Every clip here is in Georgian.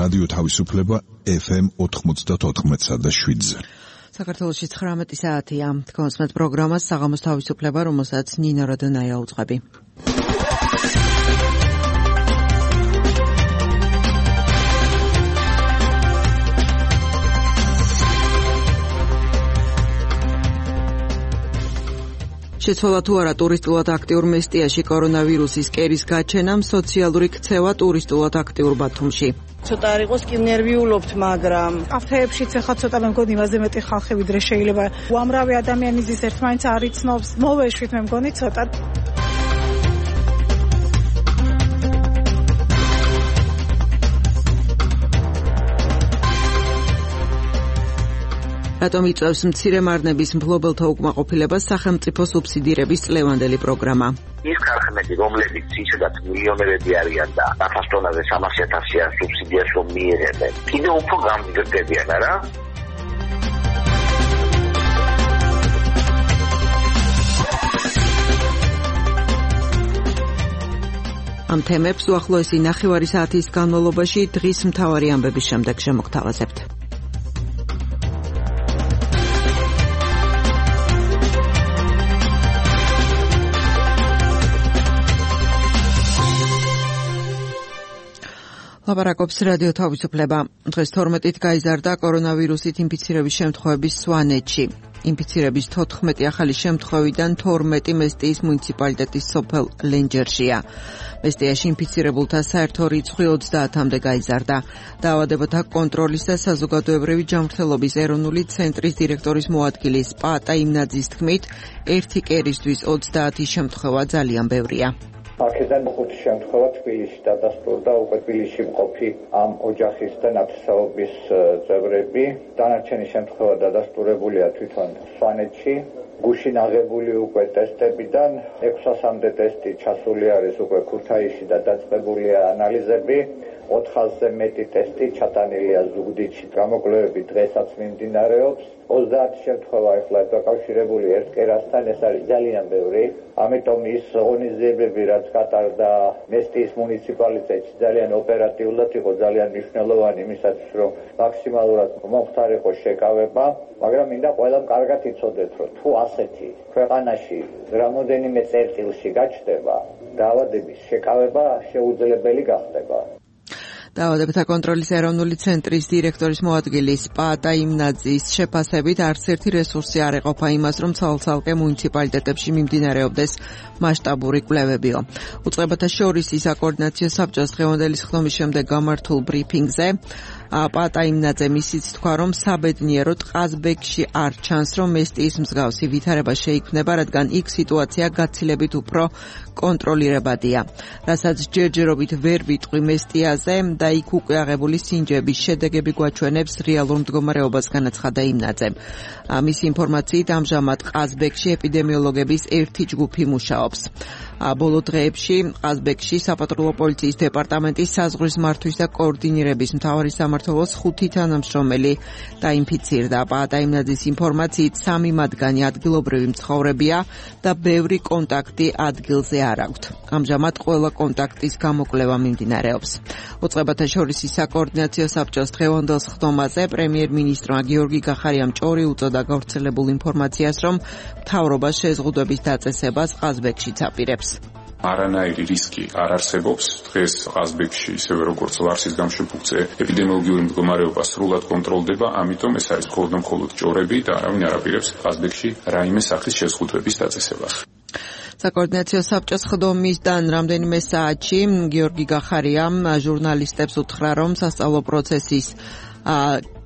რადიო თავისუფლება FM 94.7-ზე. საქართველოში 19 საათია. თქვენს პროგრამას საღამოს თავისუფლება, რომელსაც ნინო როდონაია უძღვები. შეცვალა თუ არა ტურისტულად აქტიურ მესტიაში კორონავირუსის კერის გაჩენამ სოციალური ქცევა ტურისტულად აქტიურ ბათუმში. ცოტა არ იყოს კი ნერვიულობთ, მაგრამ კაფეებშიც ახლა ცოტა მე მგონი იმაზე მეტი ხალხი ვიდრე შეიძლება. უამრავი ადამიანი ზის ერთმანეთს არ იცნობს. მოვეშვით მე მგონი ცოტა. რატომ იწევს მცირე მარნების მფლობელთა უკმაყოფილებას სახელმწიფო სუბსიდირების წლევანდელი პროგრამა? ის ქარხნები, რომლებიც ისედაც მილიონერები არიან და 100 ტონაზე 300,000 სუბსიდიას რომ მიიღებენ, კიდევ უფრო გამგრძელებიან, არა? ამ თემებს უახლოესი ნახევარი საათის განმავლობაში დღის მთავარი ამბების შემდეგ შემოგთავაზებთ. ლაპარაკობს რადიო თავისუფლება. დღეს 12-ით გაიზარდა კორონავირუსით ინფიცირების შემთხვევების სვანეთში. ინფიცირების 14 ახალი შემთხვევიდან 12 მესტიის მუნიციპალიტეტის სოფელ ლენჯერშია. მესტიაში ინფიცირებულთა საერთო რიცხვი 30-მდე გაიზარდა. დაავადებათა კონტროლის და საზოგადოებრივი ჯანმრთელობის ეროვნული ცენტრის დირექტორის მოადგილის პაატა იმნაძის თქმით, ერთი კერისთვის 30 შემთხვევა ძალიან ბევრია. აქედან 5 შემთხვევა თბილისში დადასტურდა, უკვე თბილისში მყოფი ამ ოჯახის და ნათესაობის წევრები. დანარჩენი შემთხვევა დადასტურებულია თვითონ სვანეთში. გუშინ აღებული უკვე ტესტებიდან 600-მდე ტესტი ჩასული არის უკვე ქუთაისში და დაწყებულია ანალიზები. 400-ზე მეტი ტესტი ჩატანილია ზუგდიდში. გამოკვლევები დღესაც მიმდინარეობს. 30 შემთხვევა ახლა დაკავშირებული ერთ კერასთან, ეს არის ძალიან ბევრი. ამიტომ ის ღონისძიებები, რაც გატარდა მესტიის მუნიციპალიტეტში, ძალიან ოპერატიულად იყო, ძალიან მნიშვნელოვანი იმისათვის, რომ მაქსიმალურად მომხდარიყო შეკავება, მაგრამ მინდა ყველამ კარგად იცოდეთ, რომ თუ ასეთი ქვეყანაში რამოდენიმე წერტილში გაჩნდება, დაავადების შეკავება შეუძლებელი გახდება. დაავადებათა კონტროლის ეროვნული ცენტრის დირექტორის მოადგილის პაატა იმნაძის შეფასებით არც ერთი რესურსი არ ეყოფა იმას, რომ ცალ-ცალკე მუნიციპალიტეტებში მიმდინარეობდეს მასშტაბური კვლევებიო. უწყებათა შორის საკოორდინაციო საბჭოს დღევანდელი სხდომის შემდეგ გამართულ ბრიფინგზე პაატა იმნაძემ ისიც თქვა, რომ საბედნიეროდ ყაზბეგში არ ჩანს, რომ მესტიის მსგავსი ვითარება შეიქმნება, რადგან იქ სიტუაცია გაცილებით უფრო კონტროლირებადია. რასაც ჯერჯერობით ვერ ვიტყვი მესტიაზე და იქ უკვე აღებული სინჯების შედეგები გვაჩვენებს რეალურ მდგომარეობას, განაცხადა იმნაძემ. მისი ინფორმაციით ამჟამად ყაზბეგში ეპიდემიოლოგების ერთი ჯგუფი მუშაობს. ბოლო დღეებში ყაზბეგში საპატრულო პოლიციის დეპარტამენტის საზღვრის მართვის და კოორდინირების მთავარი სამმართველოს 5 თანამშრომელი დაინფიცირდა. პაატა იმნაძის ინფორმაციით 3 მათგანი ადგილობრივი მცხოვრებია და ბევრი კონტაქტი ადგილზე არ აქვთ. ამჟამად ყველა კონტაქტის გამოკვლევა მიმდინარეობს. უწყებათა შორის საკოორდინაციო საბჭოს დღევანდელ სხდომაზე პრემიერ-მინისტრმა გიორგი გახარიამ ჭორი უწოდა გავრცელებულ ინფორმაციას, რომ მთავრობა შეზღუდვების დაწესებას ყაზბეგშიც აპირებს. არანაირი რისკი არ არსებობს. დღეს ყაზბეგში, ისევე როგორც ლარსის გამშეფუქცე, ეპიდემიოლოგიური მდგომარეობა სრულად კონტროლდება, ამიტომ ეს არის მხოლოდ ჭორები და არავინ არ აპირებს ყაზბეგში რაიმე სახის შეზღუდვების დაწესებას. საკოორდინაციო საბჭოს სხდომისგან რამდენიმე საათში გიორგი გახარიამ ჟურნალისტებს უთხრა, რომ სასწავლო პროცესის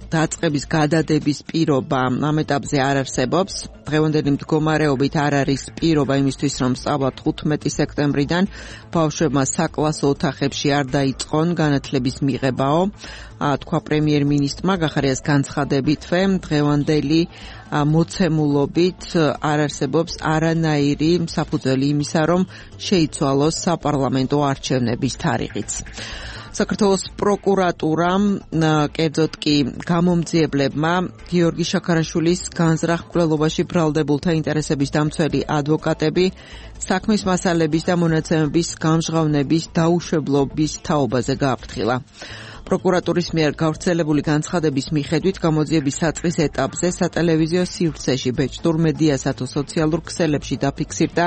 დაწყების გადადების პირობა ამ ეტაპზე არ არსებობს. დღევანდელი მდგომარეობით არ არის პირობა იმისთვის, რომ სწავლა 15 სექტემბრიდან ბავშვებმა საკლასო ოთახებში არ დაიწყონ განათლების მიღებაო. თქვა პრემიერ-მინისტრმა გახარიას განცხადებითვე, დღევანდელი მოცემულობით არ არსებობს არანაირი საფუძველი იმისა, რომ შეიცვალოს საპარლამენტო არჩევნების თარიღიც. საქართველოს პროკურატურამ, კერძოდ კი გამომძიებლებმა გიორგი შაქარაშვილის განზრახ მკვლელობაში ბრალდებულთა ინტერესების დამცველი ადვოკატები საქმის მასალების და მონაცემების გამჟღავნების დაუშვებლობის თაობაზე გააფრთხილა. პროკურატურის მიერ გავრცელებული განცხადების მიხედვით გამოძიების საწყის ეტაპზე სატელევიზიო სივრცეში ბეჭდურ მედიასა თუ სოციალურ ქსელებში დაფიქსირდა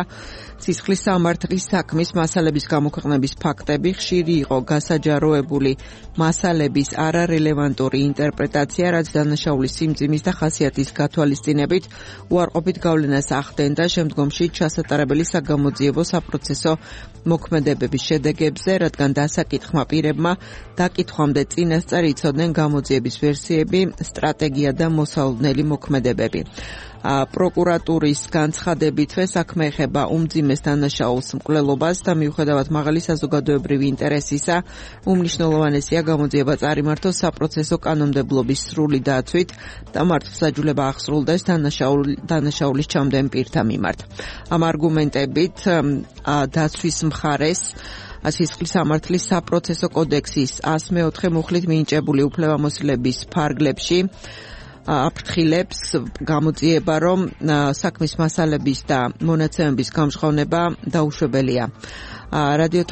სისხლის სამართლის საქმის მასალების გამოქვეყნების ფაქტები, ხშირი იყო გასაჯაროებული მასალების არარელევანტური ინტერპრეტაცია, რაც დანაშაულის სიმძიმის და ხასიათის გათვალისწინებით უარყოფით გავლენას ახდენდა შემდგომში ჩასატარებელი საგამოძიებო საპროცესო მოქმედებების შედეგებზე, რადგან დასაკითხმა პირებმა დაკითხვამდე წინასწარ იცოდნენ გამოძიების ვერსიები, სტრატეგია და მოსალოდნელი მოქმედებები. პროკურატურის განცხადებითვე საქმე ეხება უმძიმეს დანაშაულს მკვლელობას და მიუხედავად მაღალი საზოგადოებრივი ინტერესისა, უმნიშვნელოვანესია გამოძიება წარიმართოს საპროცესო კანონმდებლობის სრული დაცვით და მართლმსაჯულება აღსრულდეს დანაშაულის ჩამდენ პირთა მიმართ. ამ არგუმენტებით დაცვის მხარეს სისხლის სამართლის საპროცესო კოდექსის 104 მუხლით მინიჭებული უფლებამოსილების ფარგლებში აფრთხილებს გამოძიება, რომ საქმის მასალების და მონაცემების გამჟღავნება დაუშვებელია. რადიო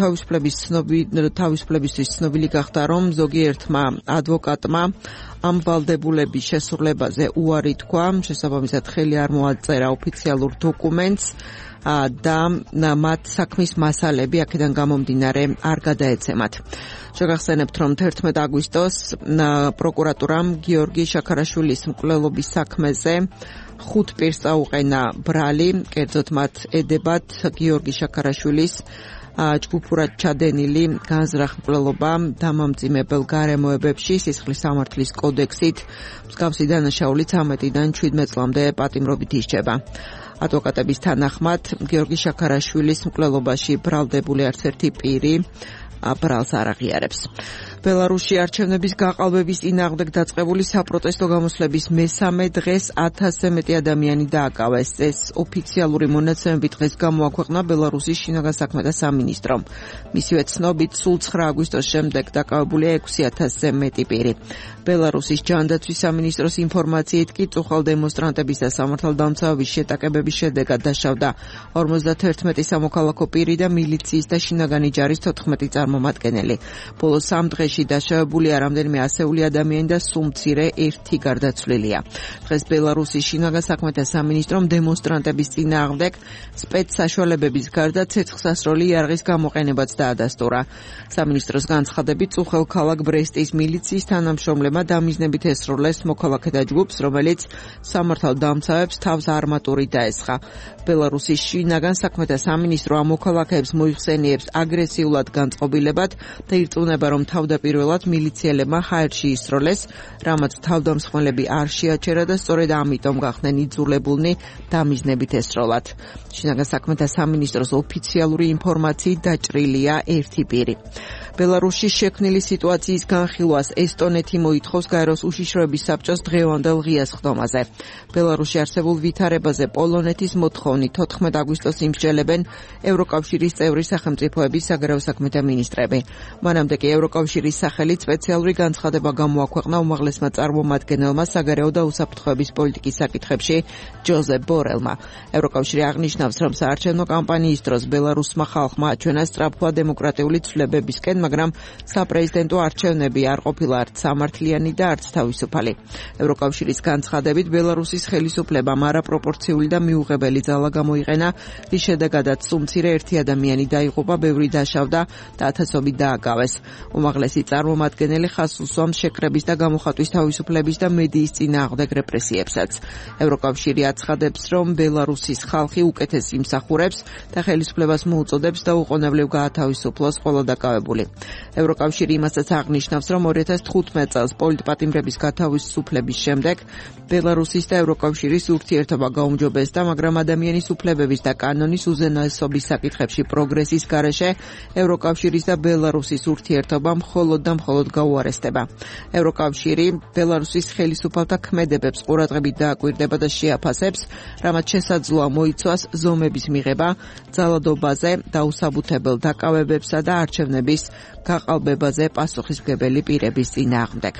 თავისუფლებისთვის ცნობილი გახდა, რომ ზოგიერთმა ადვოკატმა ამ ვალდებულების შესრულებაზე უარი თქვა, შესაბამისად ხელი არ მოაწერა ოფიციალურ დოკუმენტს და მათ საქმის მასალები აქედან გამომდინარე არ გადაეცემათ. შეგახსენებთ, რომ 11 აგვისტოს პროკურატურამ გიორგი შაქარაშვილის მკვლელობის საქმეზე 5 პირს წაუყენა ბრალი, კერძოდ მათ ედებათ გიორგი შაქარაშვილის ჯგუფურად ჩადენილი განზრახ მკვლელობა დამამძიმებელ გარემოებებში სისხლის სამართლის კოდექსით მსგავსი დანაშაული 13-დან 17 წლამდე პატიმრობით ისჯება. ადვოკატების თანახმად გიორგი შაქარაშვილის მკვლელობაში ბრალდებული არც ერთი პირი ბრალს არ აღიარებს. ბელარუსში არჩევნების გაყალბების წინააღმდეგ დაწყებული საპროტესტო გამოსვლების მესამე დღეს 1000-ზე მეტი ადამიანი დააკავეს. ეს ოფიციალური მონაცემები დღეს გამოაქვეყნა ბელარუსის შინაგან საქმეთა სამინისტრომ. მისივე ცნობით, სულ 9 აგვისტოს შემდეგ დაკავებულია 6000-ზე მეტი პირი. ბელარუსის ჯანდაცვის სამინისტროს ინფორმაციით კი წუხალ დემონსტრანტების და სამართალდამცავების შეტაკებების შედეგად დაშავდა 51 სამოქალაქო პირი და მილიციის და შინაგანი ჯარის 14 წარმომადგენელი. ბოლო 3 დღეში დაშავებულია რამდენიმე ასეული ადამიანი და სულ მცირე ერთი გარდაცვლილია. დღეს ბელარუსის შინაგან საქმეთა სამინისტრომ დემონსტრანტების წინააღმდეგ სპეცსაშუალებების გარდა ცეცხლსასროლი იარაღის გამოყენებაც დაადასტურა. სამინისტროს განცხადებით, წუხელ ქალაქ ბრესტის მილიციის თანამშრომლებმა დამიზნებით ესროლეს მოქალაქეთა ჯგუფს, რომელიც სამართალდამცავებს თავს არმატურით დაესხა. ბელარუსის შინაგან საქმეთა სამინისტრო ამ მოქალაქეებს მოიხსენიებს აგრესიულად განწყობილებად და ირწმუნება, რომ თავდაპირველად მილიციელებმა ჰაერში ისროლეს, რამაც თავდამსხმელები არ შეაჩერა და სწორედ ამიტომ გახდნენ იძულებულნი დამიზნებით ესროლათ. შინაგან საქმეთა სამინისტროს ოფიციალური ინფორმაციით დაჭრილია ერთი პირი. ბელარუსში შექმნილი სიტუაციის განხილვას ესტონეთი მოითხოვს გაეროს უშიშროების საბჭოს დღევანდელ ღიას ხდომაზე. ბელარუსში არსებულ ვითარებაზე პოლონეთის მოთხოვნით 14 აგვისტოს იმსჯელებენ ევროკავშირის წევრი სახელმწიფოების საგარეო საქმეთა მინისტრები. მანამდე კი ევროკავშირის სახელით სპეციალური განცხადება გამოაქვეყნა უმაღლესმა წარმომადგენელმა საგარეო და უსაფრთხოების პოლიტიკის საკითხებში ჯოზეფ ბორელმა. ევროკავშირი აღნიშნავს, რომ საარჩევნო კამპანიის დროს ბელარუსმა ხალხმა აჩვენა სწრაფვა დემოკრატიული ცვლილებებისკენ, მაგრამ საპრეზიდენტო არჩევნები არ ყოფილა არც სამართლიანი და არც თავისუფალი. ევროკავშირის განცხადებით, ბელარუსის ხელისუფლებამ არაპროპორციული და მიუღებელი ძალა გამოიყენა, რის შედეგადაც სულ მცირე ერთი ადამიანი დაიღუპა, ბევრი დაშავდა და ათასობით დააკავეს. უმაღლესი წარმომადგენელი ხაზს უსვამს შეკრების და გამოხატვის თავისუფლების და მედიის წინააღმდეგ რეპრესიებსაც. ევროკავშირი აცხადებს, რომ ბელარუსის ხალხი უკეთეს იმსახურებს და ხელისუფლებას მოუწოდებს დაუყოვნებლივ გაათავისუფლოს ყველა დაკავებული. ევროკავშირი იმასაც აღნიშნავს, რომ 2015 წელს პოლიტპატიმრების გათავისუფლების შემდეგ ბელარუსის და ევროკავშირის ურთიერთობა გაუმჯობესდა, მაგრამ ადამიანის უფლებების და კანონის უზენაესობის საკითხებში პროგრესის გარეშე ევროკავშირის და ბელარუსის ურთიერთობა მხოლოდ და მხოლოდ გაუარესდება. ევროკავშირი ბელარუსის ხელისუფალთა ქმედებებს ყურადღებით დააკვირდება და შეაფასებს, რამაც შესაძლოა მოიცვას ზომების მიღება ძალადობაზე, დაუსაბუთებელ დაკავებებსა და არჩევნების გაყალბებაზე პასუხისმგებელი პირების წინააღმდეგ.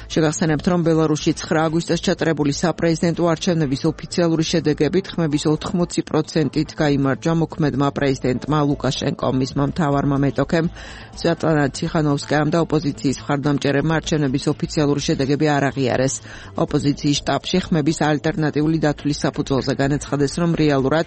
შეგახსენებთ, რომ ბელარუსში 9 აგვისტოს ჩატარებული საპრეზიდენტო არჩევნების ოფიციალური შედეგებით ხმების 80%-ით გაიმარჯვა მოქმედმა პრეზიდენტმა ლუკაშენკომ, მისმა მთავარმა მეტოქემ სვიატლანა ციხანოვსკაიამ და ოპოზიციის მხარდამჭერებმა არჩევნების ოფიციალური შედეგები არ აღიარეს. ოპოზიციის შტაბში ხმების ალტერნატიული დათვლის საფუძველზე განაცხადეს, რომ რეალურად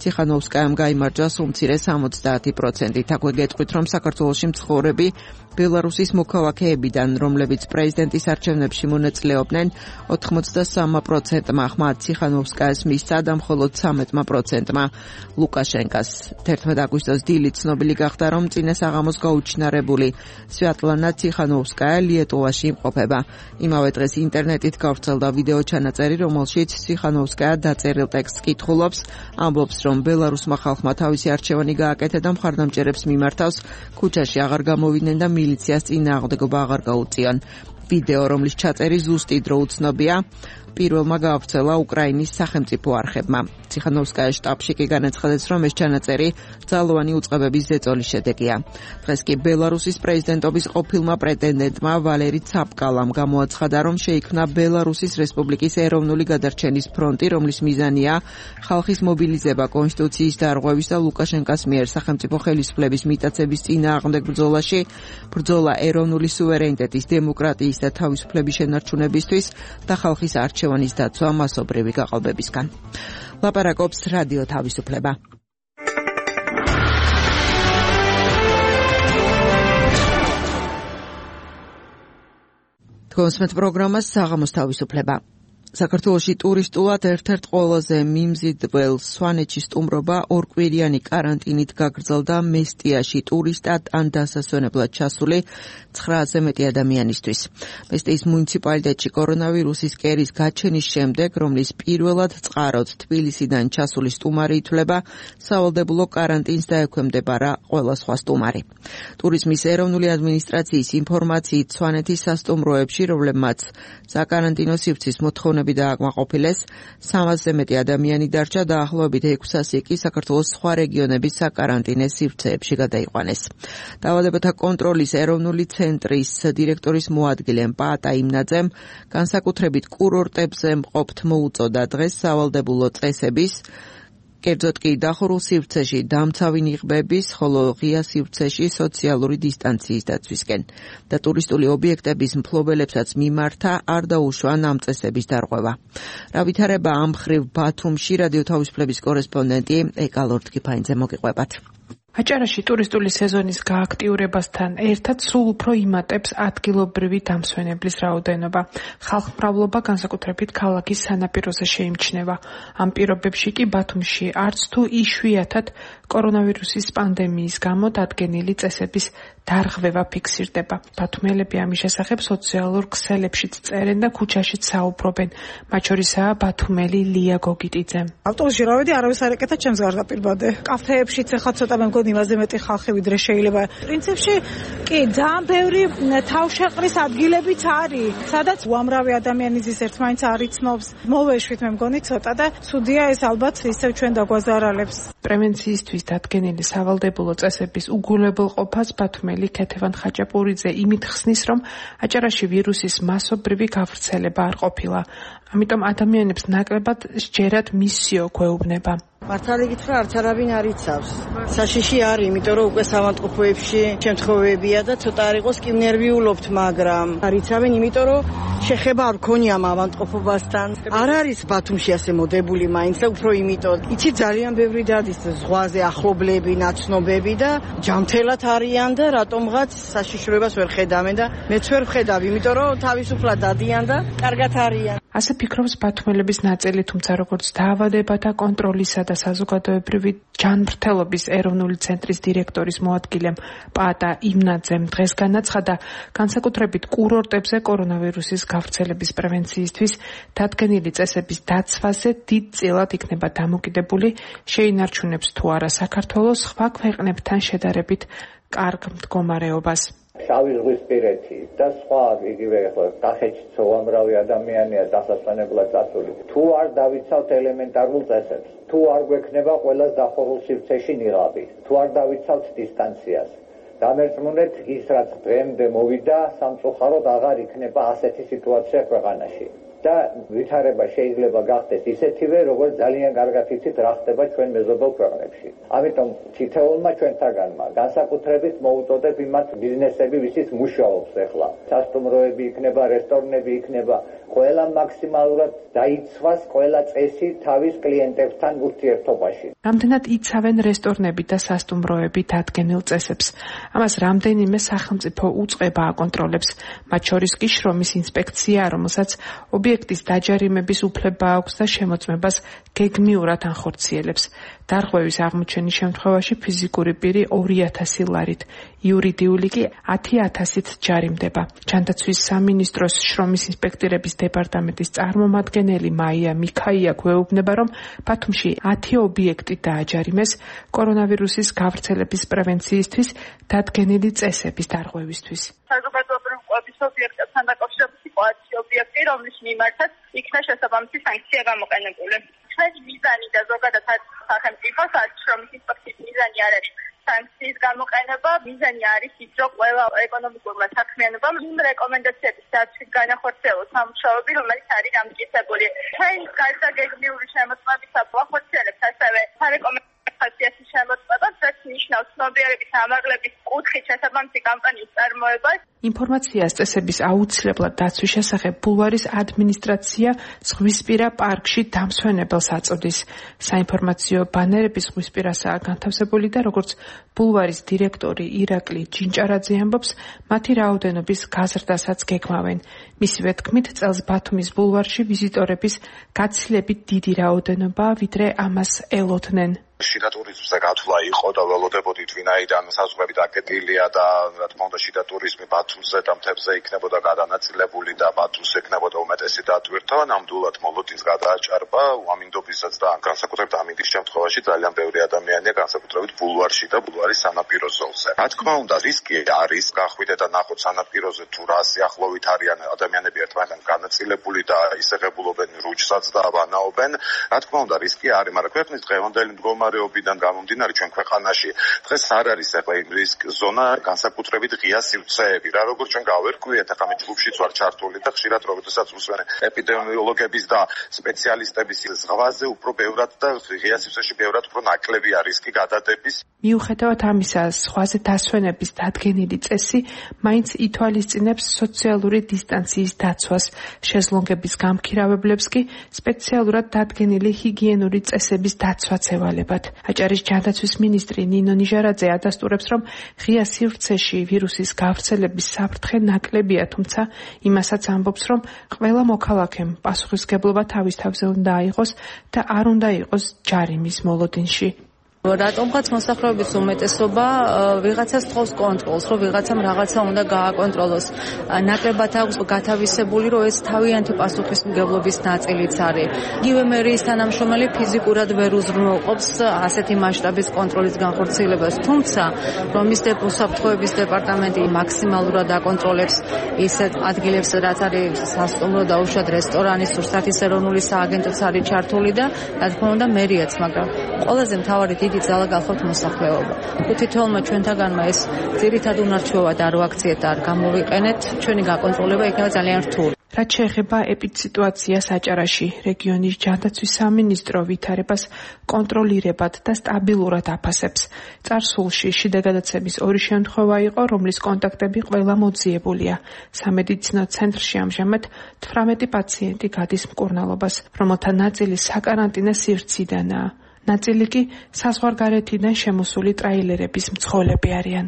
ციხანოვსკაიამ გაიმარჯვა სულ მცირე 70%-ით. აქვე გეტყვით, რომ საქართველოში მცხოვრები ბელარუსის მოქალაქეებიდან, რომლებიც პრეზიდენტის არჩევნებში მონაწილეობდნენ, 83%-მა ხმა ციხანოვსკაიას მისცა და მხოლოდ 13%-მა ლუკაშენკას. 11 აგვისტოს დილით ცნობილი გახდა, რომ წინა საღამოს გაუჩინარებული სვიატლანა ციხანოვსკაია ლიეტოვაში იმყოფება. იმავე დღეს ინტერნეტით გავრცელდა ვიდეო ჩანაწერი, რომელშიც ციხანოვსკაია დაწერილ ტექსტს კითხულობს, ამბობს, რომ ბელარუსმა ხალხმა თავისი არჩევანი გააკეთა და მხარდამჭერებს მიმართავს ქუჩაში აღარ გამოვიდნენ და მილიციას წინააღმდეგობა აღარ გაუწიონ. ვიდეო, რომლის ჩაწერი ზუსტი დრო უცნობია, პირველმა გაავრცელა უკრაინის სახელმწიფო არხებმა. ციხანოვსკაიას შტაბში კი განაცხადეს, რომ ეს ჩანაწერი ძალოვანი უწყებების ზეწოლის შედეგია. დღეს კი ბელარუსის პრეზიდენტობის ყოფილმა პრეტენდენტმა ვალერი ცაპკალამ გამოაცხადა, რომ შეიქმნა ბელარუსის რესპუბლიკის ეროვნული გადარჩენის ფრონტი, რომლის მიზანია ხალხის მობილიზება კონსტიტუციის დარღვევის და ლუკაშენკას მიერ სახელმწიფო ხელისუფლების მიტაცების წინააღმდეგ ბრძოლაში, ბრძოლა ეროვნული სუვერენიტეტის, დემოკრატიის და თავისუფლების შენარჩუნებისთვის და ხალხის არჩევანის დაცვა მასობრივი გაყალბებისგან. ლაპარაკობს რადიო თავისუფლება. თქვენს პროგრამას საღამოს თავისუფლება. საქართველოში ტურისტულად ერთ-ერთ ყველაზე მიმზიდველ სვანეთში სტუმრობა ორკვირიანი კარანტინით გაგრძელდა მესტიაში ტურისტად ან დასასვენებლად ჩასული 900-ზე მეტი ადამიანისთვის. მესტიის მუნიციპალიტეტში კორონავირუსის კერის გაჩენის შემდეგ, რომლის პირველად წყაროდ თბილისიდან ჩასული სტუმარი ითვლება, სავალდებულო კარანტინს დაექვემდებარა ყველა სხვა სტუმარი. ტურიზმის ეროვნული ადმინისტრაციის ინფორმაციით სვანეთის სასტუმროებში, რომლებმაც საკარანტინო სივრცის მოთხოვნა დააკმაყოფილეს, 300-ზე მეტი ადამიანი დარჩა და დაახლოებით 600 კი საქართველოს სხვა რეგიონების საკარანტინე სივრცეებში გადაიყვანეს. დაავადებათა კონტროლის ეროვნული ცენტრის დირექტორის მოადგილემ პაატა იმნაძემ განსაკუთრებით კურორტებზე მყოფთ მოუწოდა დღეს სავალდებულო წესების, კერძოდ კი დახურულ სივრცეში დამცავი ნიღბების, ხოლო ღია სივრცეში სოციალური დისტანციის დაცვისკენ და ტურისტული ობიექტების მფლობელებსაც მიმართა არ დაუშვა ამ წესების დარღვევა. რა ვითარება ამ მხრივ ბათუმში რადიო თავისუფლების კორესპონდენტი ეკა ლორთქიფანიძე მოგიყვებათ. აჭარაში ტურისტული სეზონის გააქტიურებასთან ერთად სულ უფრო იმატებს ადგილობრივი დამსვენებლის რაოდენობა. ხალხმრავლობა განსაკუთრებით ქალაქის სანაპიროზე შეიმჩნევა. ამ პირობებში კი ბათუმში არც თუ იშვიათად კორონავირუსის პანდემიის გამო დადგენილი წესების დარღვევა ფიქსირდება. ბათუმელები ამის შესახებ სოციალურ ქსელებშიც წერენ და ქუჩაშიც საუბრობენ. მათ შორისაა ბათუმელი ლია გოგიტიძე. ავტობუსში რა ვედი, არავის არ ეკეთა ჩემს გარდაპირბადე. კაფეებშიც ახლა ცოტა მე მგონი იმაზე მეტი ხალხი ვიდრე შეიძლება. პრინციპში კი ძალიან ბევრი თავშეყრის ადგილებიც არის, სადაც უამრავი ადამიანი ზის ერთმანეთს არ იცნობს. მოვეშვით მე მგონი ცოტა და ცუდია ეს ალბათ ისევ ჩვენ დაგვაზარალებს. პრევენციისთვის დადგენილი სავალდებულო წესების უგულებელ ყოფას ბათუმელი ქეთევან ხაჭაპურიძე იმით ხსნის, რომ აჭარაში ვირუსის მასობრივი გავრცელება არ ყოფილა. ამიტომ ადამიანებს ნაკლებად სჯერათ მისიო გვეუბნება. მართალი გითხრა, არც არავინ არ იცავს. საშიში არის, იმიტომ რომ უკვე სამანტყოფოებში შემთხვევებია და ცოტა არ იყოს კი ნერვიულობთ, მაგრამ არ იცავენ, იმიტომ რომ შეხება არ ქონია ავადმყოფობასთან. არ არის ბათუმში ასე მოდებული მაინც და უფრო იმიტომ. იცი ძალიან ბევრი დადის ზღვაზე ახლობლები, ნაცნობები და ჯამთელად არიან და რატომღაც საშიშროებას ვერ ხედავენ და მეც ვერ ვხედავ, იმიტომ რომ თავისუფლად დადიან და კარგად არიან. ასე ფიქრობს ბათუმელების ნაწილი, თუმცა როგორც დაავადებათა კონტროლისა და საზოგადოებრივი ჯანმრთელობის ეროვნული ცენტრის დირექტორის მოადგილემ პაატა იმნაძემ დღეს განაცხადა, განსაკუთრებით კურორტებზე კორონავირუსის გავრცელების პრევენციისთვის დადგენილი წესების დაცვაზე დიდ წილად იქნება დამოკიდებული, შეინარჩუნებს თუ არა საქართველოს სხვა ქვეყნებთან შედარებით კარგ მდგომარეობას. შავი ზღვისპირეთი და სხვა იგივე კახეთშიც უამრავი ადამიანია დასასვენებლად წასული. თუ არ დავიცავთ ელემენტარულ წესებს, თუ არ გვექნება ყველას დახურულ სივრცეში ნიღაბი, თუ არ დავიცავთ დისტანციას, დამერწმუნეთ ის რაც დღემდე მოვიდა სამწუხაროდ აღარ იქნება ასეთი სიტუაცია ქვეყანაში და ვითარება შეიძლება გახდეს ისეთივე როგორც ძალიან კარგად იცით რა ხდება ჩვენ მეზობელ ქვეყნებში. ამიტომ თითოეულმა ჩვენთაგანმა განსაკუთრებით მოუწოდებ იმათ ბიზნესები ვისიც მუშაობს ახლა სასტუმროები იქნება რესტორნები იქნება ყველა მაქსიმალურად დაიცვას ყველა წესი თავის კლიენტებთან ურთიერთობაში. რამდენად იცავენ რესტორნები და სასტუმროები დადგენილ წესებს? ამას რამდენიმე სახელმწიფო უწყება აკონტროლებს, მათ შორის კი შრომის ინსპექცია, რომელსაც ობიექტის დაჯარიმების უფლება აქვს და შემოწმებას გეგმიურად ანხორციელებს. დარღვევის აღმოჩენის შემთხვევაში ფიზიკური პირი 2000 ლარით, იურიდიული კი 10,000-ით ჯარიმდება. ჯანდაცვის სამინისტროს შრომის ინსპექტორების დეპარტამენტის წარმომადგენელი მაია მიქაია გვეუბნება, რომ ბათუმში 10 ობიექტი დააჯარიმეს კორონავირუსის გავრცელების პრევენციისთვის დადგენილი წესების დარღვევისთვის. საზოგადოებრივი კვების ობიექტებთან დაკავშირებით იყო 10 ობიექტი, რომლის მიმართაც იქნა შესაბამისი სანქცია გამოყენებული. ჩვენი მიზანი და ზოგადად სახელმწიფოს შრომის ინსპექციის მიზანი არ არის სანქციის გამოყენება, მიზანი არის ის, რომ ყველა ეკონომიკურმა საქმიანობამ იმ რეკომენდაციების დაცვით განახორციელოს სამუშაოები, რომელიც არის დამტკიცებული. ჩვენ გარდა გეგმიური შემოწმებისა ვახორციელებთ ასევე სარეკომენდაციო შემოწმებას, რაც ნიშნავს ცნობიერების ამაღლების კუთხით შესაბამისი კამპანიის წარმოებას. ინფორმაციას წესების აუცილებლად დაცვის შესახებ ბულვარის ადმინისტრაცია ზღვისპირა პარკში დამსვენებელს აწოდის. საინფორმაციო ბანერები ზღვისპირასაა განთავსებული და როგორც ბულვარის დირექტორი ირაკლი ჯინჭარაძე ამბობს, მათი რაოდენობის გაზრდასაც გეგმავენ. მისივე თქმით, წელს ბათუმის ბულვარში ვიზიტორების გაცილებით დიდი რაოდენობაა, ვიდრე ამას ელოდნენ. შიდა ტურიზმზე გათვლა იყო და ველოდებოდით ვინაიდან საზღვრები დაკეტილია და რა თქმა უნდა შიდა ტურიზმი ბათუმზე და მთებზე იქნებოდა გადანაწილებული და ბათუმს ექნებოდა უმეტესი დატვირთვა, ნამდვილად მოლოდინს გადააჭარბა უამინდობისაც და განსაკუთრებით ამინდის შემთხვევაში ძალიან ბევრი ადამიანია განსაკუთრებით ბულვარში და ბულვარის სანაპირო ზოლზე. რა თქმა უნდა რისკი არის გახვიდე და ნახოთ სანაპიროზე თუ რა სიახლოვით არიან ადამიანები ერთმანეთთან განაწილებული და ისեղებულობენ რუჩსაც და ვანაობენ. რა თქმა უნდა რისკი არის, მაგრამ ქვეყნის დღევანდელი მდგომარეობიდან გამომდინარე ჩვენ ქვეყანაში დღეს არ არის ახლა იმ რისკ ზონა განსაკუთრებით ღია სივრცეები რა როგორც ჩვენ გავერკვიეთ ახლა მე ჯგუფშიც ვარ ჩართული და ხშირად როდესაც ვუსვენ ეპიდემიოლოგების და სპეციალისტების ზღვაზე უფრო ბევრად და ღია სივრცეში ბევრად უფრო ნაკლებია რისკი გადადების. მიუხედავად ამისა, ზღვაზე დასვენების დადგენილი წესი მაინც ითვალისწინებს სოციალური დისტანციის დაცვას, შეზლონგების გამქირავებლებს კი სპეციალურად დადგენილი ჰიგიენური წესების დაცვაც ევალებათ. აჭარის ჯანდაცვის მინისტრი ნინო ნიჟარაძე ადასტურებს, რომ ღია სივრცეში ვირუსის გავრცელების საფრთხე ნაკლებია, თუმცა იმასაც ამბობს, რომ ყველა მოქალაქემ პასუხისგებლობა თავის თავზე უნდა აიღოს და არ უნდა იყოს ჯარიმის მოლოდინში. რატომღაც მოსახლეობის უმეტესობა ვიღაცას თხოვს კონტროლს, რომ ვიღაცამ რაღაცა უნდა გააკონტროლოს. ნაკლებად აქვს გათავისებული, რომ ეს თავიანთი პასუხისმგებლობის ნაწილიც არის. იგივე მერიის თანამშრომელი ფიზიკურად ვერ უზრუნველყოფს ასეთი მასშტაბის კონტროლის განხორციელებას, თუმცა რომის უსაფრთხოების დეპარტამენტი მაქსიმალურად აკონტროლებს ისეთ ადგილებს, რაც არის სასტუმრო და უშუალოდ რესტორანი, სურსათის ეროვნული სააგენტოც არის ჩართული და რა თქმა უნდა მერიაც, მაგრამ ყველაზე მთავარი დიდი ძალა გახავთ მოსახლეობა. თითოეულმა ჩვენთაგანმა ეს ძირითად უნარჩვევად არ ვაქციეთ და არ გამოვიყენეთ, ჩვენი გაკონტროლება იქნება ძალიან რთული. რაც შეეხება ეპიდსიტუაციას აჭარაში, რეგიონის ჯანდაცვის სამინისტრო ვითარებას კონტროლირებად და სტაბილურად აფასებს. წარსულში შიდა გადაცემის 2 შემთხვევა იყო, რომლის კონტაქტები ყველა მოძიებულია. სამედიცინო ცენტრში ამჟამად 18 პაციენტი გადის მკურნალობას, რომელთა ნაწილი საკარანტინო სივრციდანაა. ნაწილი კი საზღვარგარეთიდან შემოსული ტრაილერების მძღოლები არიან.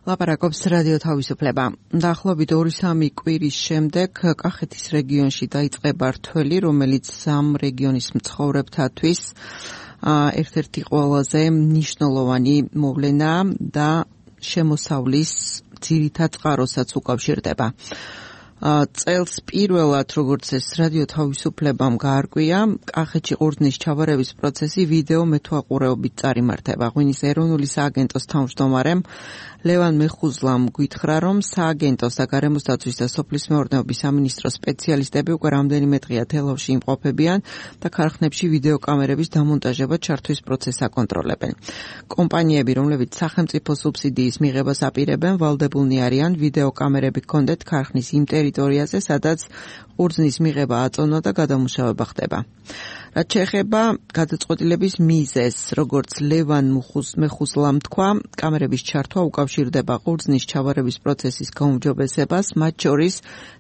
ლაპარაკობს რადიო თავისუფლება. დაახლოებით 2-3 კვირის შემდეგ კახეთის რეგიონში დაიწყება რთველი, რომელიც ამ რეგიონის მცხოვრებთათვის ერთ-ერთი ყველაზე მნიშვნელოვანი მოვლენა და შემოსავლის ძირითად წყაროსაც უკავშირდება. წელს პირველად, როგორც ეს რადიო თავისუფლებამ გაარკვია, კახეთში ყურძნის ჩაბარების პროცესი ვიდეო მეთვალყურეობით წარიმართება. ღვინის ეროვნული სააგენტოს თავმჯდომარემ ლევან მეხუზლამ გითხრა, რომ სააგენტოს და გარემოს დაცვის და სოფლის მეურნეობის სამინისტროს სპეციალისტები უკვე რამდენიმე დღეა თელავში იმყოფებიან და ქარხნებში ვიდეოკამერების დამონტაჟება ჩართვის პროცესს აკონტროლებენ. კომპანიები, რომლებიც სახელმწიფო სუბსიდიის მიღებას აპირებენ, ვალდებულნი არიან ვიდეოკამერები ჰქონდეთ ქარხნის იმ ტერიტორიაზე, სადაც ყურძნის მიღება აწონვა და გადამუშავება ხდება. რაც შეეხება გადაწყვეტილების მიზეზს, როგორც ლევან მეხუზლამ თქვა, კამერების ჩართვა უკავშირდება ყურძნის ჩავარების პროცესის გაუმჯობესებას, მათ შორის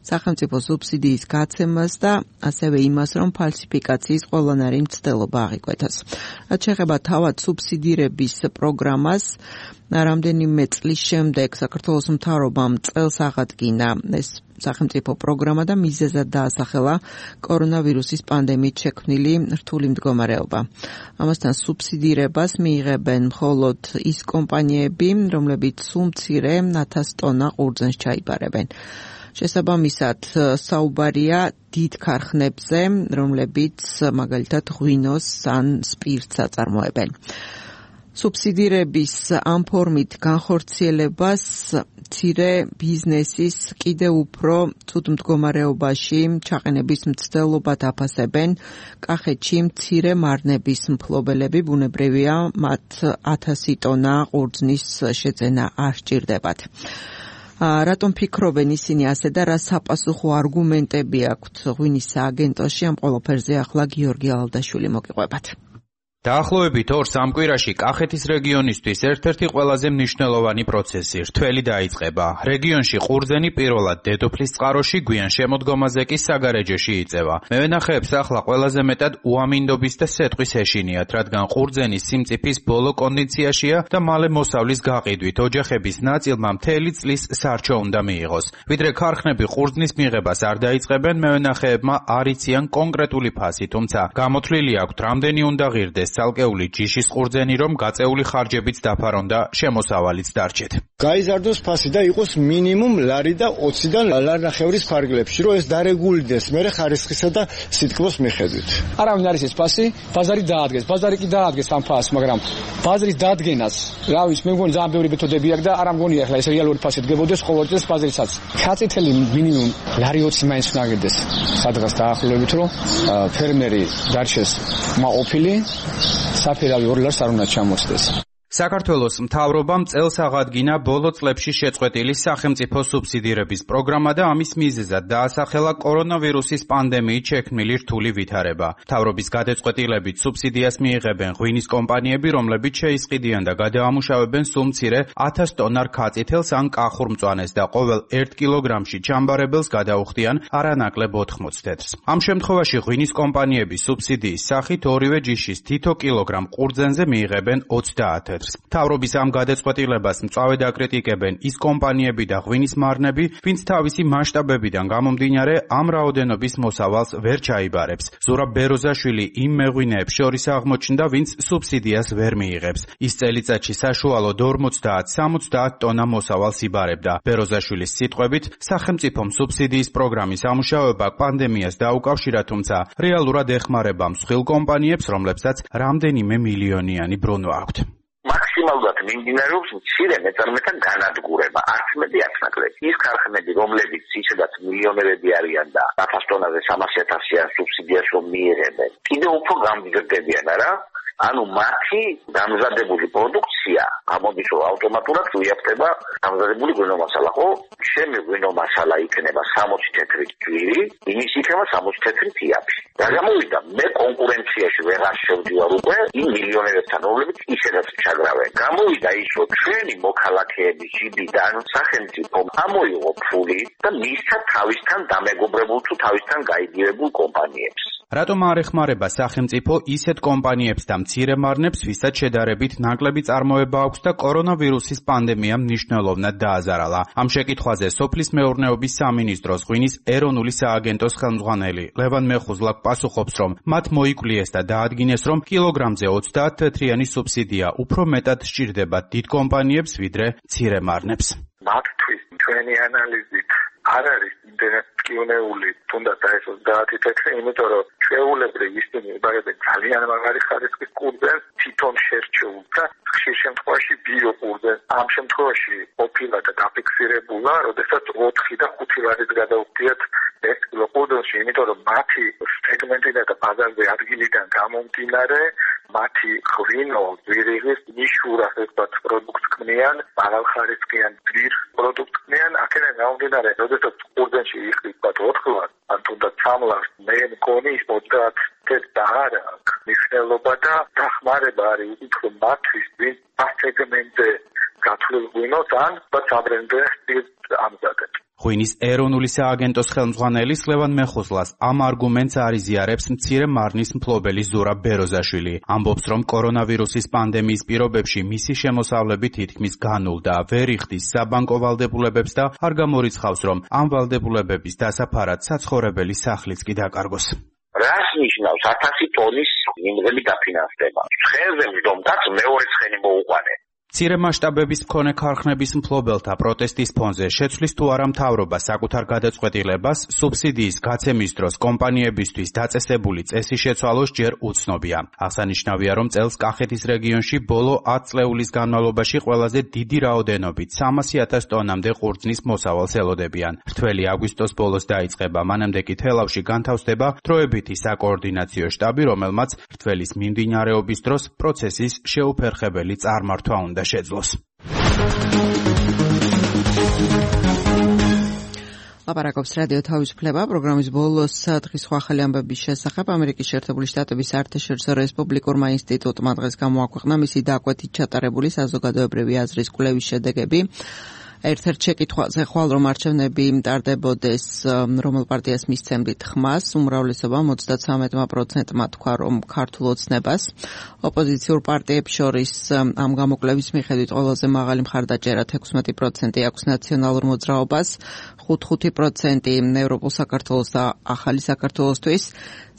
სახელმწიფო სუბსიდიის გაცემას და ასევე იმას, რომ ფალსიფიკაციის ყველანაირი მცდელობა აღიკვეთოს. რაც შეეხება თავად სუბსიდირების პროგრამას, რამდენიმე წლის შემდეგ საქართველოს მთავრობამ წელს აღადგინა ეს სახელმწიფო პროგრამა და მიზეზად დაასახელა კორონავირუსის პანდემიით შექმნილი რთული მდგომარეობა. ამასთან სუბსიდირებას მიიღებენ მხოლოდ ის კომპანიები, რომლებიც სულ მცირე 1000 ტონა ყურძენს ჩაიბარებენ. შესაბამისად, საუბარია დიდ ქარხნებზე, რომლებიც მაგალითად ღვინოს ან სპირტს აწარმოებენ. სუბსიდირების ამ ფორმით განხორციელებას მცირე ბიზნესის კიდევ უფრო ცუდ მდგომარეობაში ჩაყენების მცდელობად აფასებენ კახეთში მცირე მარნების მფლობელები, ბუნებრივია, მათ 1000 ტონა ყურძნის შეძენა არ სჭირდებათ. რატომ ფიქრობენ ისინი ასე და რა საპასუხო არგუმენტები აქვთ ღვინის სააგენტოში? ამ ყველაფერზე ახლა გიორგი ალდაშვილი მოგიყვებათ. დაახლოებით 2-3 კვირაში კახეთის რეგიონისთვის ერთ-ერთი ყველაზე მნიშვნელოვანი პროცესი რთველი დაიწყება. რეგიონში ყურძენი პირველად დედოფლის წყაროში, გვიან შემოდგომაზე კი საგარეჯოში იწევა. მევენახეებს ახლა ყველაზე მეტად უამინდობის და სეტყვის ეშინიათ, რადგან ყურძენის სიმწიფის ბოლო კონდიციაში და მალე მოსავლის გაყიდვით ოჯახების ნაწილმა მთელი წლის სარჩო უნდა მიიღოს. ვიდრე ქარხნები ყურძნის მიღებას არ დაიწყებენ, მევენახეებმა არ იციან კონკრეტული ფასი, თუმცა გამოთვლილი აქვთ, რამდენი უნდა ღირდეს ცალკეული ჯიშის ყურძენი, რომ გაწეული ხარჯებიც დაფარონ და შემოსავალიც დარჩეთ. გაიზარდოს ფასი და იყოს მინიმუმ ლარი და 20-დან ლარნახევრის ფარგლებში, რომ ეს დარეგულდეს მერე ხარისხისა და სითქმის მიხედვით. არავინ არის ეს ფასი, ბაზარი დაადგეს. ბაზარი კი დაადგეს ამ ფასს, მაგრამ ბაზრის დადგენას, რა ვიცი, მე მგონი ძალიან ბევრი მეთოდები აქვს და არ ამგონია ახლა ეს რეალური ფასი დგებოდეს ყოველ წელს ბაზრისაც. ხაწითელი მინიმუმ ლარი 20 მაინც უნდა გედეს. სადღაც დაახლოებით, რომ ფერმერი დარჩეს მაყოფილი საფერავი 2 ლარს არ უნდა ჩამოსდეს. საქართველოს მთავრობამ წელს აღადგინა ბოლო წლებში შეწყვეტილი სახელმწიფო სუბსიდირების პროგრამა და ამის მიზეზად დაასახელა კორონავირუსის პანდემიით შექმნილი რთული ვითარება. მთავრობის გადაწყვეტილებით სუბსიდიას მიიღებენ ღვინის კომპანიები, რომლებიც შეისყიდიან და გადაამუშავებენ სულ მცირე 1000 ტონა რქაწითელს ან კახურ მწვანეს და ყოველ 1 კილოგრამში ჩამბარებელს გადაუხდიან არანაკლებ 80 თეთრს. ამ შემთხვევაში ღვინის კომპანიები სუბსიდიის სახით ორივე ჯიშის თითო კილოგრამ ყურძენზე მიიღებენ 30 თეთრს. მთავრობის ამ გადაწყვეტილებას მწვავედ აკრიტიკებენ ის კომპანიები და ღვინის მარნები, ვინც თავისი მასშტაბებიდან გამომდინარე ამ რაოდენობის მოსავალს ვერ ჩაიბარებს. ზურაბ ბეროზაშვილი იმ მეღვინეებს შორის აღმოჩნდა, ვინც სუბსიდიას ვერ მიიღებს. ის წელიწადში საშუალოდ 50-70 ტონა მოსავალს იბარებდა. ბეროზაშვილის სიტყვებით, სახელმწიფომ სუბსიდიის პროგრამის ამუშავება პანდემიას დაუკავშირა, თუმცა რეალურად ეხმარება მსხვილ კომპანიებს, რომლებსაც რამდენიმე მილიონიანი ბრუნვა აქვთ. მაქსიმალურად მიმდინარეობს მცირე მეწარმეთა განადგურება, არც მეტი არც ნაკლები. ის ქარხნები, რომლებიც ისედაც მილიონერები არიან და 1000 ტონაზე 300.000 სუბსიდიას რომ მიიღებენ, კიდევ უფრო გამდიდრდებიან, არა? ანუ მათი დამზადებული პროდუქცია გამოდის რომ ავტომატურად უიაფდება დამზადებული ღვინო მასალა, ხო? შემი ღვინო მასალა იქნება 60 თეთრი ჯვირი, იმის იქნება 60 თეთრი თიაფი. რა გამოვიდა? მე კონკურენციაში ვეღარ შევდივარ უკვე იმ მილიონერებთან, რომლებიც ისედაც ჩაგრავენ. გამოვიდა ის, რომ ჩვენი მოქალაქეების ჯიბიდან სახელმწიფო ამოიღო ფული და მისცა თავისთან დამეგობრებულ თუ თავისთან გაიგივებულ კომპანიებს. რატომ არ ეხმარება სახელმწიფო ისეთ კომპანიებს და მცირე მარნებს, ვისაც შედარებით ნაკლები წარმოება აქვს და კორონავირუსის პანდემიამ მნიშვნელოვნად დააზარალა? ამ შეკითხვაზე სოფლის მეურნეობის სამინისტროს ღვინის ეროვნული სააგენტოს ხელმძღვანელი ლევან მეხუზლა პასუხობს, რომ მათ მოიკვლიეს და დაადგინეს, რომ კილოგრამზე 30 თეთრიანი სუბსიდია უფრო მეტად სჭირდება დიდ კომპანიებს, ვიდრე მცირე მარნებს. მათთვის ჩვენი ანალიზით არ არის იმდენად მტკივნეული თუნდაც ეს 30 წელი, იმიტომ რომ ჩვეულებრივ ისინი იბარებენ ძალიან მაგარი ხარისხის კურდღელს, თვითონ შერჩეულ და ხშირ შემთხვევაში ბიო კურდღელს. ამ შემთხვევაში ყოფილა და დაფიქსირებულა, როდესაც 4 და 5 ლარით გადაუხდიათ ეს კილო კურდღელში, იმიტომ რომ მათი სეგმენტიდან და ბაზარზე ადგილიდან გამომდინარე მათი ღვინო, ვირიღის ნიშურა ერთად პროდუქტს ქმნიან, მაღალხარისხიან ძვირ პროდუქტს ქმნიან, აქედან გამომდინარე, როდესაც კურდღელში იხდით 4 ლარს, ან თუნდაც 3 ლარს, მე მგონი 30 და არა აქვს მნიშვნელობა და დახმარება არის უფრო მათთვის, ვინც ამ სეგმენტზე გათვლილ ღვინოს ან საბრენდო სტილს ამზადებს. ღვინის ეროვნული სააგენტოს ხელმძღვანელი ლევან მეხუზლას ამ არგუმენტს არიზიარებს მცირე მარნის მფლობელი ზურა ბეროზაშვილი. ამბობს, რომ კორონავირუსის პანდემიის პირობებში მისი შემოსავლები თითქმის განულდა, ვერ იხდის საბანკო ვალდებულებებს და არ გამორიცხავს, რომ ამ ვალდებულებების დასაფარად საცხოვრებელი სახლიც კი დაკარგოს. რას ნიშნავს 1000 ტონის მინდვრელი დაფინანსება? ცხენზე მდგომაც მეორე ცხენი მოუყვანე. მცირე მასშტაბების მქონე ქარხნების მფლობელთა პროტესტის ფონზე შეცვლის თუ არა მთავრობა საკუთარ გადაწყვეტილებას, სუბსიდიის გაცემის დროს კომპანიებისთვის დაწესებული წესის შეცვალოს ჯერ უცნობია. აღსანიშნავია, რომ წელს კახეთის რეგიონში ბოლო 10 წლეულის განმავლობაში ყველაზე დიდი რაოდენობით 300,000 ტონამდე ყურძნის მოსავალს ელოდებიან. რთველი აგვისტოს ბოლოს დაიწყება, მანამდე კი თელავში განთავსდება დროებითი საკოორდინაციო შტაბი, რომელმაც რთველის მიმდინარეობის დროს პროცესის შეუფერხებელი წარმართვა უნდა შეძლოს. ლაპარაკობს რადიო თავისუფლება პროგრამის ბოლოს დღის სხვა ახალი ამბების შესახებ. ამერიკის შეერთებული შტატების საერთაშორისო რესპუბლიკურმა ინსტიტუტმა დღეს გამოაქვეყნა მისი დაკვეთით ჩატარებული საზოგადოებრივი აზრის კვლევის შედეგები. ერთ-ერთ შეკითხვაზე ხვალ რომ არჩევნები მტარდებოდეს, რომელ პარტიას მისცემდით ხმას, უმრავლესობა 33%-მა თქვა, რომ ქართულ ოცნებას. ოპოზიციურ პარტიებს შორის ამ გამოკვლევის მიხედვით ყველაზე მაღალი მხარდაჭერა 16% აქვს ნაციონალურ მოძრაობას, 5% ევროპულ საქართველოს და ახალი საქართველოსთვის,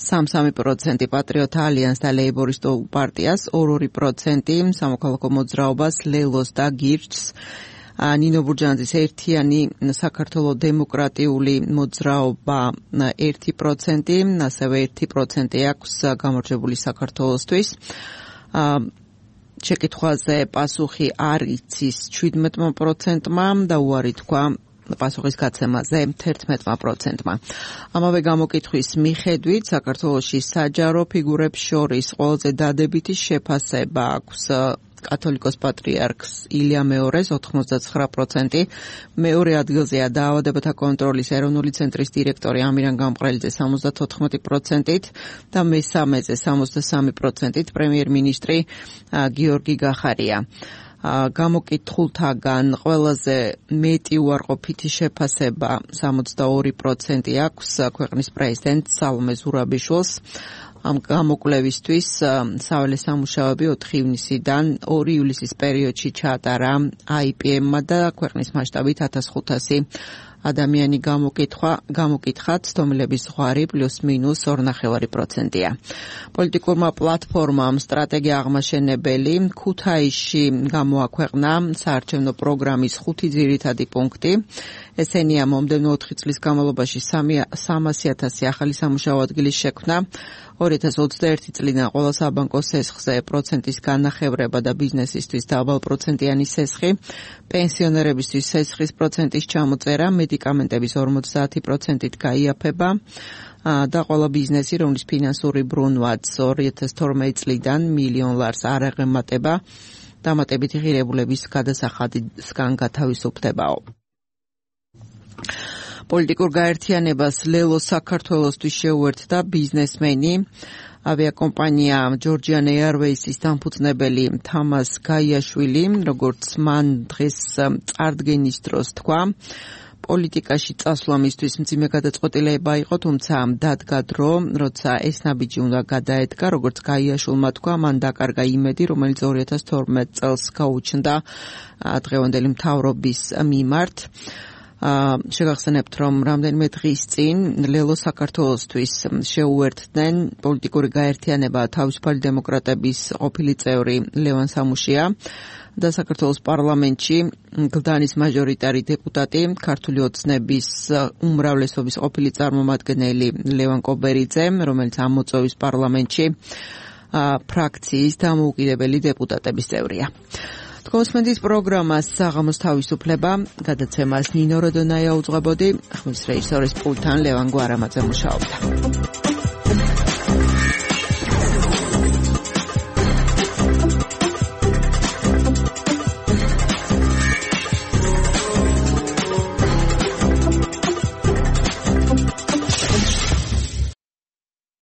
3% პატრიოტთა ალიანსს და ლეიბორისტულ პარტიას, 2% სამოქალაქო მოძრაობას, ლელოს და გირჩს. ნინო ბურჯანძის ერთიანი საქართველოს დემოკრატიული მოძრაობა 1%, ასევე 1% აქვს გამარჯვებული საქართველოსთვის. შეკითხვაზე პასუხი არ იცის 17%-მა და უარი თქვა პასუხის გაცემაზე 11%-მა. ამავე გამოკითხვის მიხედვით საქართველოში საჯარო ფიგურებს შორის ყველაზე დადებითი შეფასება აქვს კათოლიკოს პატრიარქს ილია მეორეს 99%, მეორე ადგილზეა დაავადებათა კონტროლის ეროვნული ცენტრის დირექტორი ამირან გამყრელიძე 74%-ით და მესამეზე 63%-ით პრემიერ-მინისტრი გიორგი გახარია. გამოკითხულთაგან ყველაზე მეტი უარყოფითი შეფასება 62% აქვს ქვეყნის პრეზიდენტ სალომე ზურაბიშვილს. ამ გამოკვლევისთვის საველე სამუშაოები 4 ივნისიდან 2 ივლისის პერიოდში ჩაატარა IPM-მა და ქვეყნის მასშტაბით 1500 ადამიანი გამოკითხა, ცდომილების ზღვარი +-2.5%-ია. პოლიტიკურმა პლატფორმამ სტრატეგია აღმაშენებელი ქუთაისში გამოაქვეყნა საარჩევნო პროგრამის 5 ძირითადი პუნქტი. ესენია მომდევნო 4 წლის განმავლობაში 300,000 ახალი სამუშაო ადგილის შექმნა, 2021 წლიდან ყველა საბანკო სესხზე პროცენტის განახევრება და ბიზნესისთვის დაბალპროცენტიანი სესხი, პენსიონერებისთვის სესხის პროცენტის ჩამოწერა, მედიკამენტების 50%-ით გაიაფება და ყველა ბიზნესი, რომლის ფინანსური ბრუნვაც 2012 წლიდან $1 მილიონ არ აღემატება, დამატებითი ღირებულების გადასახადისგან გათავისუფლებაო. პოლიტიკურ გაერთიანებას ლელო საქართველოსთვის შეუერთდა ბიზნესმენი, ავიაკომპანია Georgian Airways-ის დამფუძნებელი თამას გაიაშვილი, როგორც მან დღეს წარდგენის დროს თქვა, პოლიტიკაში წასვლა მისთვის მძიმე გადაწყვეტილება იყო, თუმცა დადგა დრო, როცა ეს ნაბიჯი უნდა გადაედგა, როგორც გაიაშვილმა თქვა, მან დაკარგა იმედი, რომელიც 2012 წელს გაუჩნდა დღევანდელი მთავრობის მიმართ. შეგახსენებთ, რომ რამდენიმე დღის წინ ლელო საქართველოსთვის შეუერთდნენ პოლიტიკური გაერთიანება თავისუფალი დემოკრატების ყოფილი წევრი ლევან სამუშია და საქართველოს პარლამენტში გლდანის მაჟორიტარი დეპუტატი, ქართული ოცნების უმრავლესობის ყოფილი წარმომადგენელი ლევან კობერიძე, რომელიც ამ მოწვევის პარლამენტში ფრაქციის დამოუკიდებელი დეპუტატების წევრია. Თქვენს პროგრამას საღამოს თავისუფლება გადაცემას ნინო როდონაია უძღვებოდი, ხმის რეჟისორის პულტთან ლევან გვარამაძე მუშაობდა.